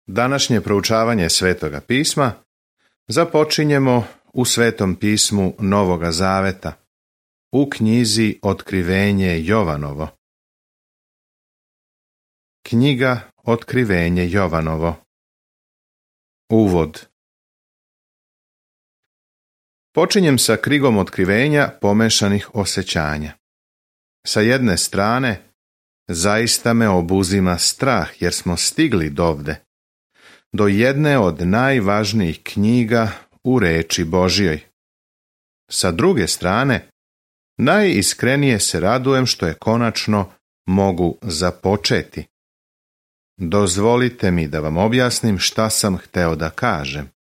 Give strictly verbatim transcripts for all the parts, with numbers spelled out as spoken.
Današnje proučavanje Svetoga pisma započinjemo u Svetom pismu Novoga Zaveta, u knjizi Otkrivenje Jovanovo. Knjiga Otkrivenje Jovanovo. Uvod. Počinjem sa krigom otkrivenja pomešanih osjećanja. Sa jedne strane, zaista me obuzima strah jer smo stigli dovde, do jedne od najvažnijih knjiga u reči Božjoj. Sa druge strane, najiskrenije se radujem što je konačno mogu započeti. Dozvolite mi da vam objasnim šta sam hteo da kažem.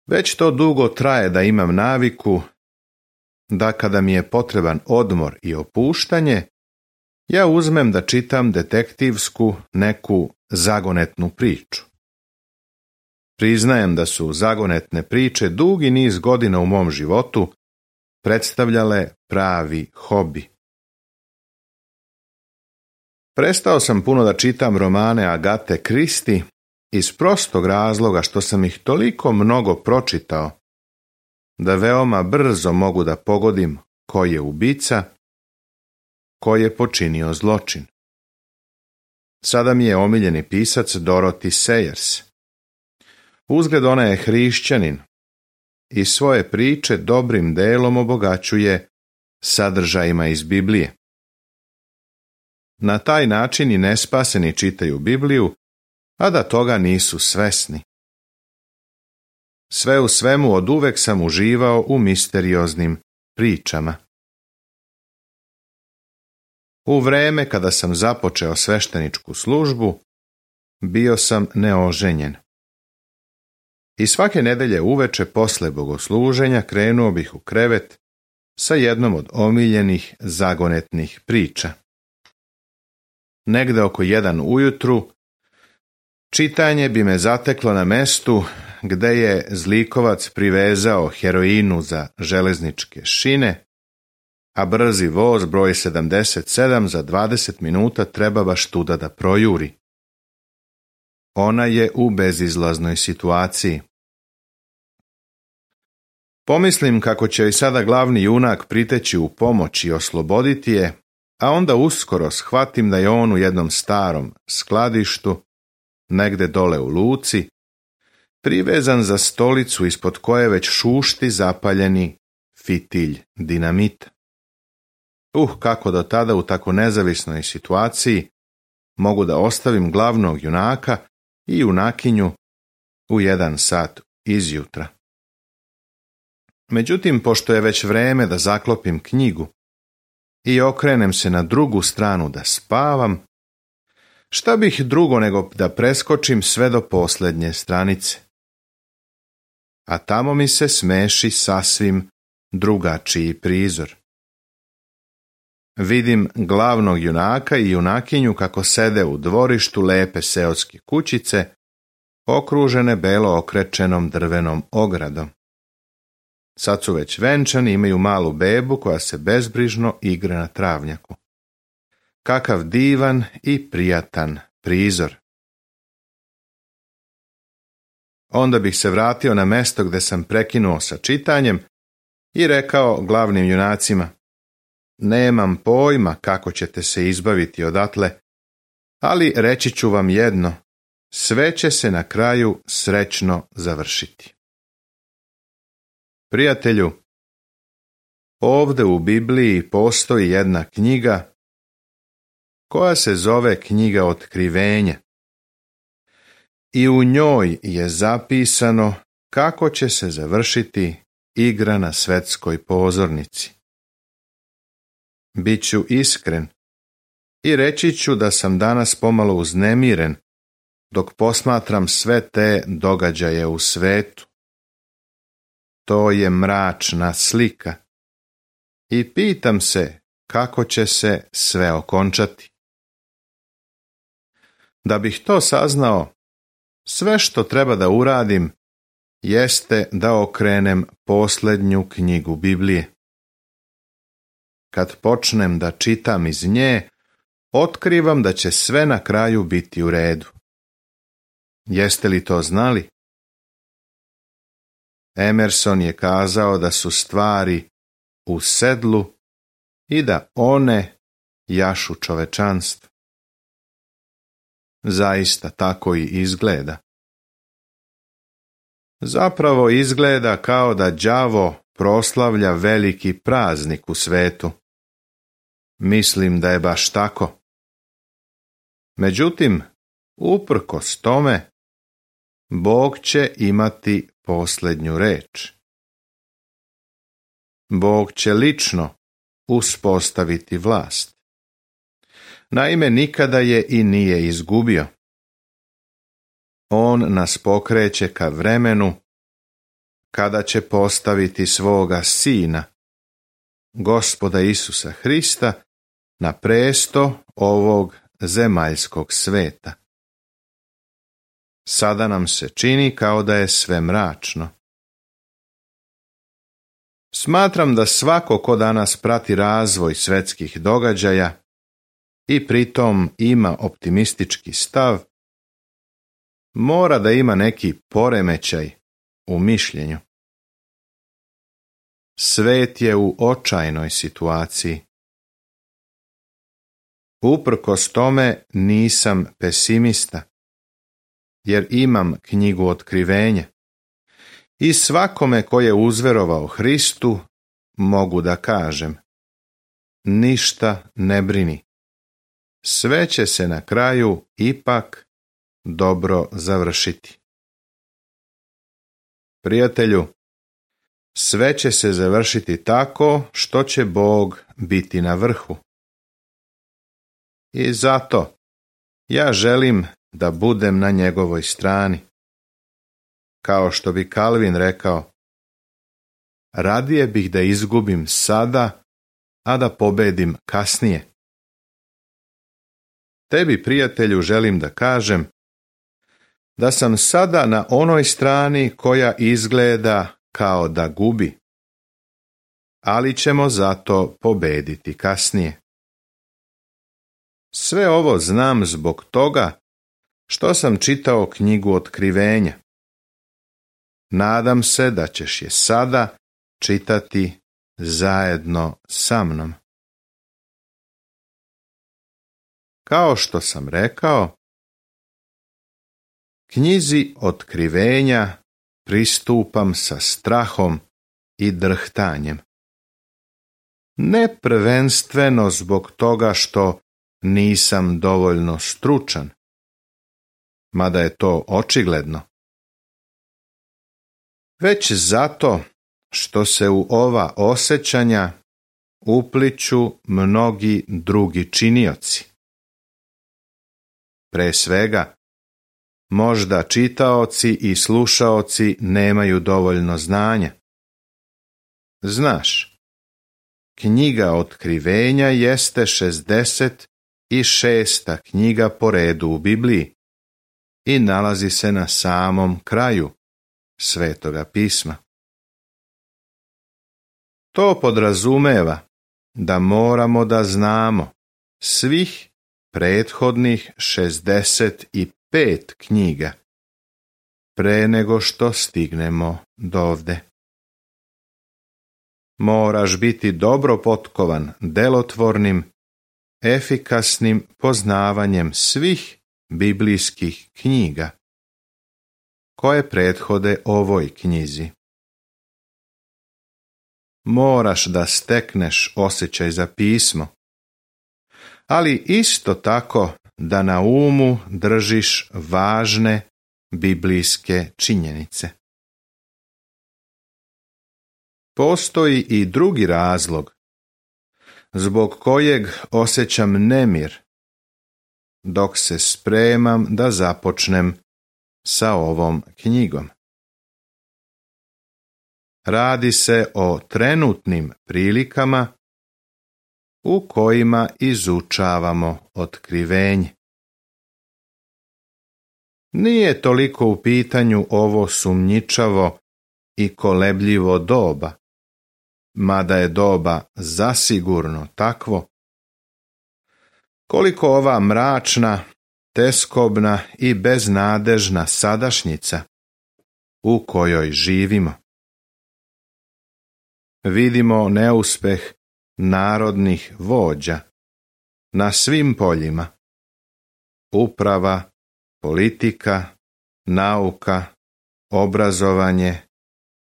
Već to dugo traje da imam naviku da kada mi je potreban odmor i opuštanje, ja uzmem da čitam detektivsku neku zagonetnu priču. Priznajem da su zagonetne priče dugi niz godina u mom životu predstavljale pravi hobi. Prestao sam puno da čitam romane Agate Kristi iz prostog razloga što sam ih toliko mnogo pročitao da veoma brzo mogu da pogodim ko je ubica, ko je počinio zločin. Sada mi je omiljeni pisac Dorothy Sayers. Uzgled ona je hrišćanin i svoje priče dobrim delom obogaćuje sadržajima iz Biblije. Na taj način i nespaseni čitaju Bibliju, a da toga nisu svesni. Sve u svemu oduvek sam uživao u misterioznim pričama. U vreme kada sam započeo svešteničku službu, bio sam neoženjen. I svake nedelje uveče posle bogosluženja krenuo bih u krevet sa jednom od omiljenih zagonetnih priča. Negde oko jedan ujutru, čitanje bi me zateklo na mestu gde je zlikovac privezao heroinu za železničke šine, a brzi voz broj sedamdeset sedam za dvadeset minuta treba baš tuda da projuri. Ona je u bezizlaznoj situaciji. Pomislim kako će i sada glavni junak priteći u pomoć i osloboditi je, a onda uskoro shvatim da je on u jednom starom skladištu, negde dole u luci, privezan za stolicu ispod koje već šušti zapaljeni fitilj dinamita. Uh, kako do tada u tako nezavisnoj situaciji mogu da ostavim glavnog junaka i junakinju u jedan sat izjutra. Međutim, pošto je već vreme da zaklopim knjigu i okrenem se na drugu stranu da spavam, šta bih drugo nego da preskočim sve do posljednje stranice? A tamo mi se smeši sasvim drugačiji prizor. Vidim glavnog junaka i junakinju kako sede u dvorištu lepe seoske kućice, okružene belo okrečenom drvenom ogradom. Sad su već venčani, imaju malu bebu koja se bezbrižno igra na travnjaku. Kakav divan i prijatan prizor. Onda bih se vratio na mesto gde sam prekinuo sa čitanjem i rekao glavnim junacima: nemam pojma kako ćete se izbaviti odatle, ali reći ću vam jedno, sve će se na kraju srećno završiti. Prijatelju, ovde u Bibliji postoji jedna knjiga koja se zove Knjiga Otkrivenja. I u njoj je zapisano kako će se završiti igra na svetskoj pozornici. Biću iskren i reći ću da sam danas pomalo uznemiren dok posmatram sve te događaje u svetu. To je mračna slika i pitam se kako će se sve okončati. Da bih to saznao, sve što treba da uradim jeste da okrenem posljednju knjigu Biblije. Kad počnem da čitam iz nje, otkrivam da će sve na kraju biti u redu. Jeste li to znali? Emerson je kazao da su stvari u sedlu i da one jašu čovečanstvo. Zaista tako i izgleda. Zapravo izgleda kao da đavo proslavlja veliki praznik u svetu. Mislim da je baš tako. Međutim, uprkos tome, Bog će imati posljednju reč. Bog će lično uspostaviti vlast. Naime, nikada je i nije izgubio. On nas pokreće ka vremenu kada će postaviti svoga Sina, Gospoda Isusa Hrista, na presto ovog zemaljskog sveta. Sada nam se čini kao da je sve mračno. Smatram da svako ko danas prati razvoj svetskih događaja i pritom ima optimistički stav, mora da ima neki poremećaj u mišljenju. Svet je u očajnoj situaciji. Uprkos tome nisam pesimista, jer imam knjigu Otkrivenja i svakome ko je uzverovao Hristu mogu da kažem: ništa ne brini, sve će se na kraju ipak dobro završiti. Prijatelju, sve će se završiti tako što će Bog biti na vrhu. I zato ja želim da budem na njegovoj strani. Kao što bi Kalvin rekao, radije bih da izgubim sada, a da pobedim kasnije. Tebi, prijatelju, želim da kažem da sam sada na onoj strani koja izgleda kao da gubi, ali ćemo zato pobediti kasnije. Sve ovo znam zbog toga što sam čitao knjigu Otkrivenja. Nadam se da ćeš je sada čitati zajedno sa mnom. Kao što sam rekao, knjizi Otkrivenja pristupam sa strahom i drhtanjem. Ne prvenstveno zbog toga što nisam dovoljno stručan, mada je to očigledno, već zato što se u ova osjećanja upliću mnogi drugi činioci. Pre svega, možda čitaoci i slušaoci nemaju dovoljno znanja. Znaš, knjiga Otkrivenja jeste šezdeset šesta knjiga po redu u Bibliji i nalazi se na samom kraju Svetoga pisma. To podrazumeva da moramo da znamo svih prethodnih šezdeset pet knjiga pre nego što stignemo dovde. Moraš biti dobro potkovan delotvornim, efikasnim poznavanjem svih biblijskih knjiga koje prethode ovoj knjizi. Moraš da stekneš osjećaj za pismo, ali isto tako da na umu držiš važne biblijske činjenice. Postoji i drugi razlog zbog kojeg osjećam nemir dok se spremam da započnem sa ovom knjigom. Radi se o trenutnim prilikama u kojima izučavamo otkrivenje. Nije toliko u pitanju ovo sumnjičavo i kolebljivo doba, mada je doba zasigurno takvo. Koliko ova mračna, teskobna i beznadežna sadašnjica u kojoj živimo. Vidimo neuspeh narodnih vođa na svim poljima. Uprava, politika, nauka, obrazovanje,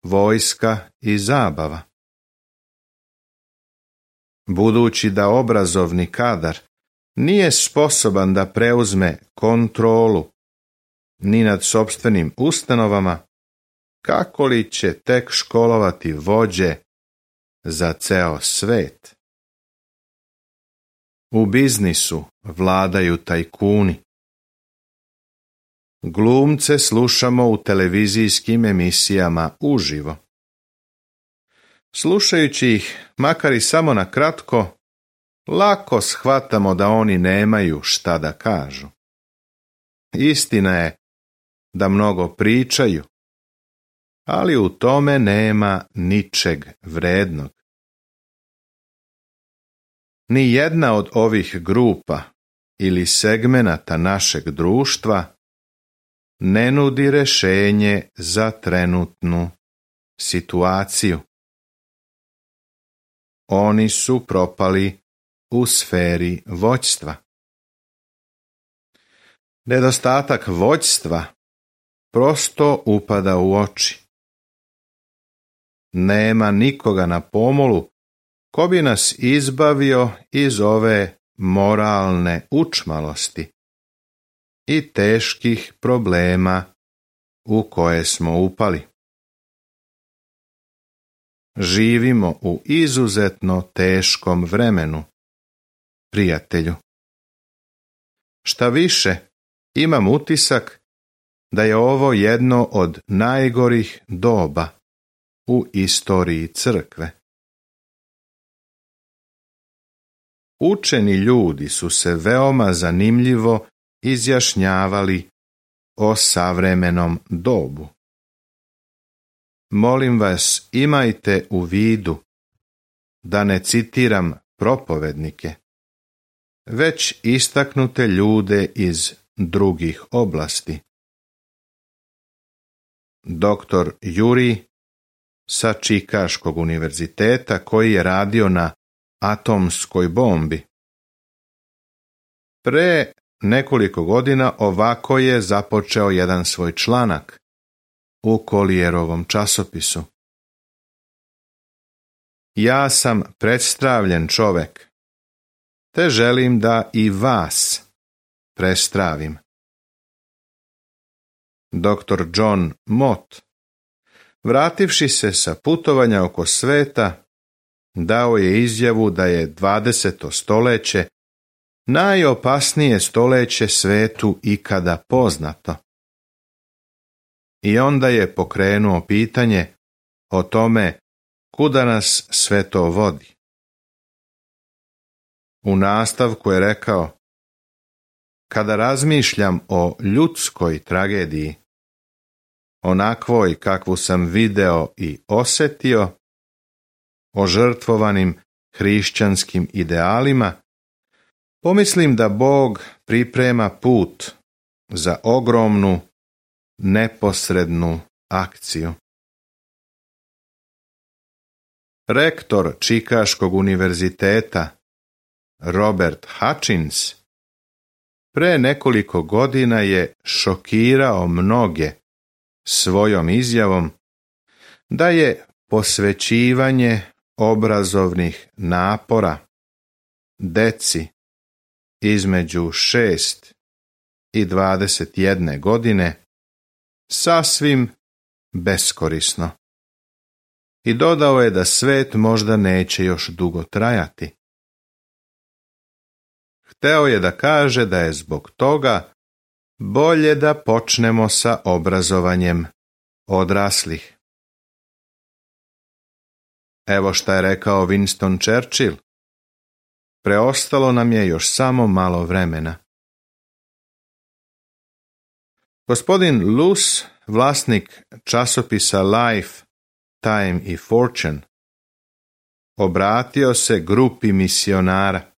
vojska i zabava. Budući da obrazovni kadar nije sposoban da preuzme kontrolu ni nad sopstvenim ustanovama, kako li će tek školovati vođe za ceo svet? U biznisu vladaju tajkuni. Glumce slušamo u televizijskim emisijama uživo. Slušajući ih, makar i samo na kratko, lako shvatamo da oni nemaju šta da kažu. Istina je da mnogo pričaju, ali u tome nema ničeg vrednog. Ni jedna od ovih grupa ili segmenata našeg društva ne nudi rješenje za trenutnu situaciju. Oni su propali u sferi vođstva. Nedostatak vođstva prosto upada u oči. Nema nikoga na pomolu ko bi nas izbavio iz ove moralne učmalosti i teških problema u koje smo upali. Živimo u izuzetno teškom vremenu, prijatelju. Šta više, imam utisak da je ovo jedno od najgorih doba u istoriji crkve. Učeni ljudi su se veoma zanimljivo izjašnjavali o savremenom dobu. Molim vas, imajte u vidu da ne citiram propovednike, već istaknute ljude iz drugih oblasti. Doktor Juri sa Čikaškog univerziteta koji je radio na atomskoj bombi. Pre nekoliko godina ovako je započeo jedan svoj članak u Collierovom časopisu. Ja sam predstavljen čovek, te želim da i vas prestravim. Doktor John Mott, vrativši se sa putovanja oko sveta, dao je izjavu da je dvadeseto stoljeće najopasnije stoljeće svetu ikada poznato. I onda je pokrenuo pitanje o tome kuda nas sve to vodi. U nastavku je rekao: kada razmišljam o ljudskoj tragediji, onakvoj kakvu sam video i osjetio, o žrtvovanim hrišćanskim idealima, pomislim da Bog priprema put za ogromnu, neposrednu akciju. Rektor Čikaškog univerziteta Robert Hutchins pre nekoliko godina je šokirao mnoge svojom izjavom da je posvećivanje obrazovnih napora deci između šest i dvadeset jedne godine sasvim beskorisno. I dodao je da svet možda neće još dugo trajati. Hteo je da kaže da je zbog toga bolje da počnemo sa obrazovanjem odraslih. Evo šta je rekao Winston Churchill: preostalo nam je još samo malo vremena. Gospodin Luce, vlasnik časopisa Life, Time i Fortune, obratio se grupi misionara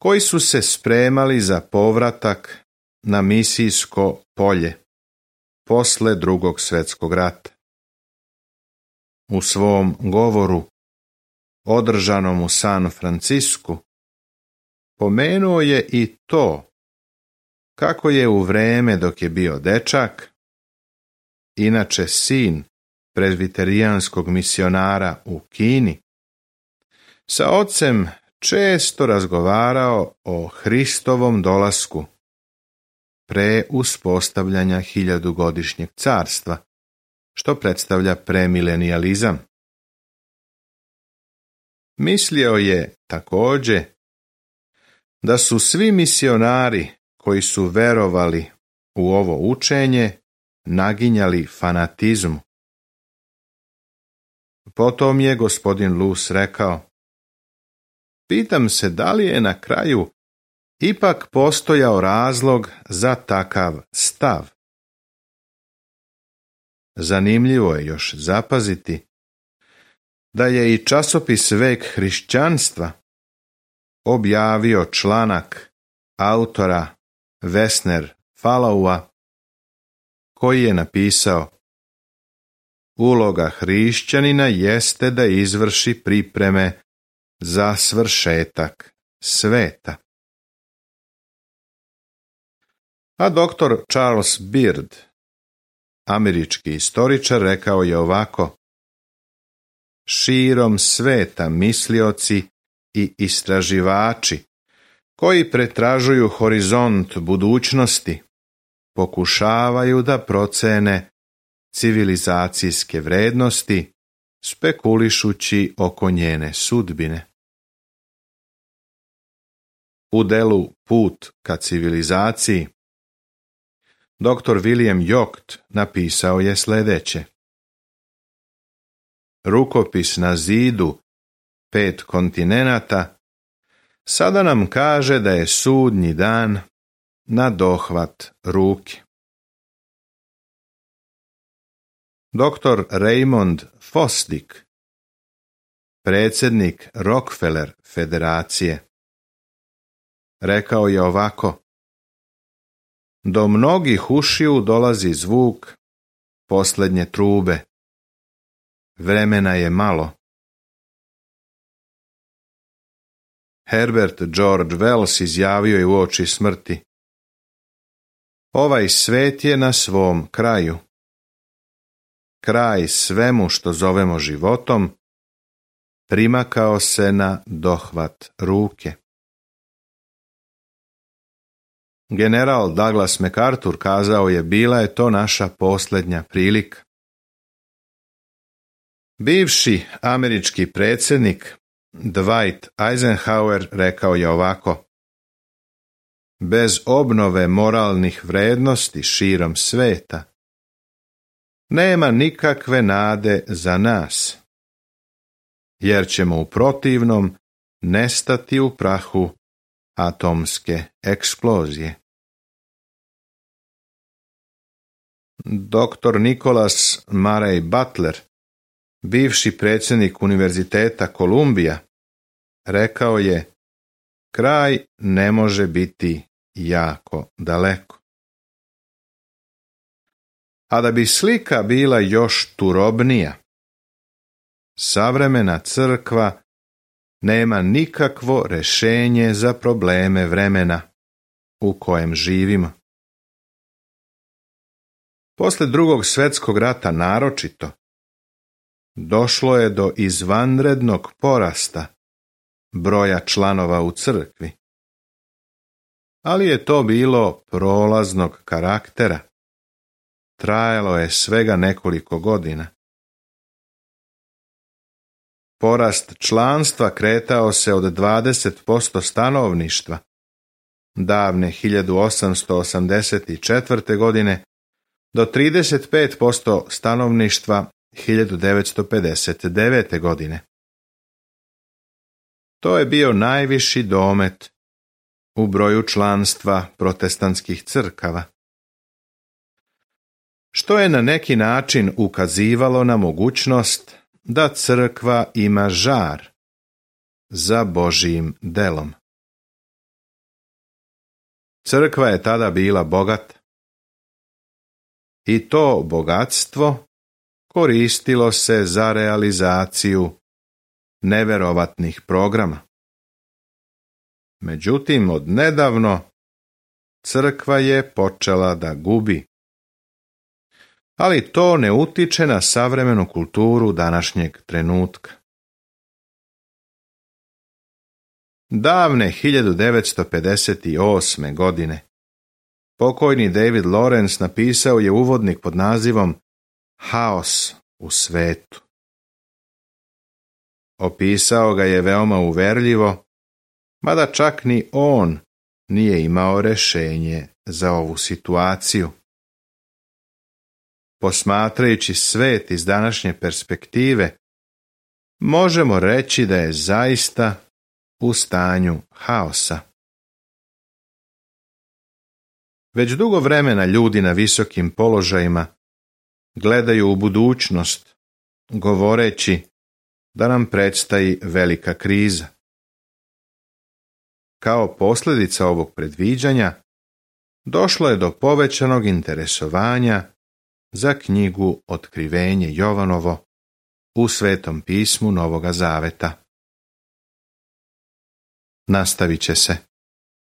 koji su se spremali za povratak na misijsko polje posle Drugog svjetskog rata. U svom govoru, održanom u San Francisku, pomenuo je i to kako je u vreme dok je bio dečak, inače sin prezbiterijanskog misionara u Kini, sa ocem često razgovarao o Hristovom dolasku pre uspostavljanja hiljadugodišnjeg carstva, što predstavlja premilenijalizam. Mislio je također da su svi misionari koji su verovali u ovo učenje naginjali fanatizmu. Potom je gospodin Luz rekao: pitam se da li je na kraju ipak postojao razlog za takav stav. Zanimljivo je još zapaziti da je i časopis Vek hrišćanstva objavio članak autora Vesner Falaua koji je napisao: uloga hrišćanina jeste da izvrši pripreme za svršetak sveta. A doktor Charles Beard, američki istoričar, rekao je ovako: širom sveta mislioci i istraživači koji pretražuju horizont budućnosti pokušavaju da procene civilizacijske vrednosti spekulišući oko njene sudbine. U delu Put ka civilizaciji doktor William Yocht napisao je sljedeće: rukopis na zidu pet kontinenata sada nam kaže da je sudnji dan na dohvat ruke. doktor Raymond Fosdick, predsjednik Rockefeller federacije, rekao je ovako: do mnogih ušiju dolazi zvuk posljednje trube. Vremena je malo. Herbert George Wells izjavio je uoči smrti: ovaj svet je na svom kraju. Kraj svemu što zovemo životom primakao se na dohvat ruke. General Douglas MacArthur kazao je: bila je to naša posljednja prilika. Bivši američki predsjednik Dwight Eisenhower rekao je ovako: bez obnove moralnih vrednosti širom sveta nema nikakve nade za nas, jer ćemo u protivnom nestati u prahu atomske eksplozije. doktor Nicholas Murray Butler, bivši predsjednik Univerziteta Kolumbija, rekao je: kraj ne može biti jako daleko. A da bi slika bila još turobnija, savremena crkva nema nikakvo rješenje za probleme vremena u kojem živimo. Poslije Drugog svjetskog rata naročito, došlo je do izvanrednog porasta broja članova u crkvi. Ali je to bilo prolaznog karaktera. Trajalo je svega nekoliko godina. Porast članstva kretao se od dvadeset posto stanovništva davne hiljadu osamsto osamdeset četvrte. godine do trideset pet posto stanovništva hiljadu devetsto pedeset devete. godine. To je bio najviši domet u broju članstva protestantskih crkava, što je na neki način ukazivalo na mogućnost da crkva ima žar za Božjim delom. Crkva je tada bila bogata. I to bogatstvo koristilo se za realizaciju neverovatnih programa. Međutim, odnedavno crkva je počela da gubi. Ali to ne utiče na savremenu kulturu današnjeg trenutka. Davne hiljadu devetsto pedeset osme. godine pokojni David Lawrence napisao je uvodnik pod nazivom Haos u svetu. Opisao ga je veoma uverljivo, mada čak ni on nije imao rješenje za ovu situaciju. Posmatrajući svet iz današnje perspektive, možemo reći da je zaista u stanju haosa. Već dugo vremena ljudi na visokim položajima gledaju u budućnost, govoreći da nam predstoji velika kriza. Kao posljedica ovog predviđanja, došlo je do povećanog interesovanja za knjigu Otkrivenje Jovanovo u Svetom pismu Novoga Zaveta. Nastavit će se.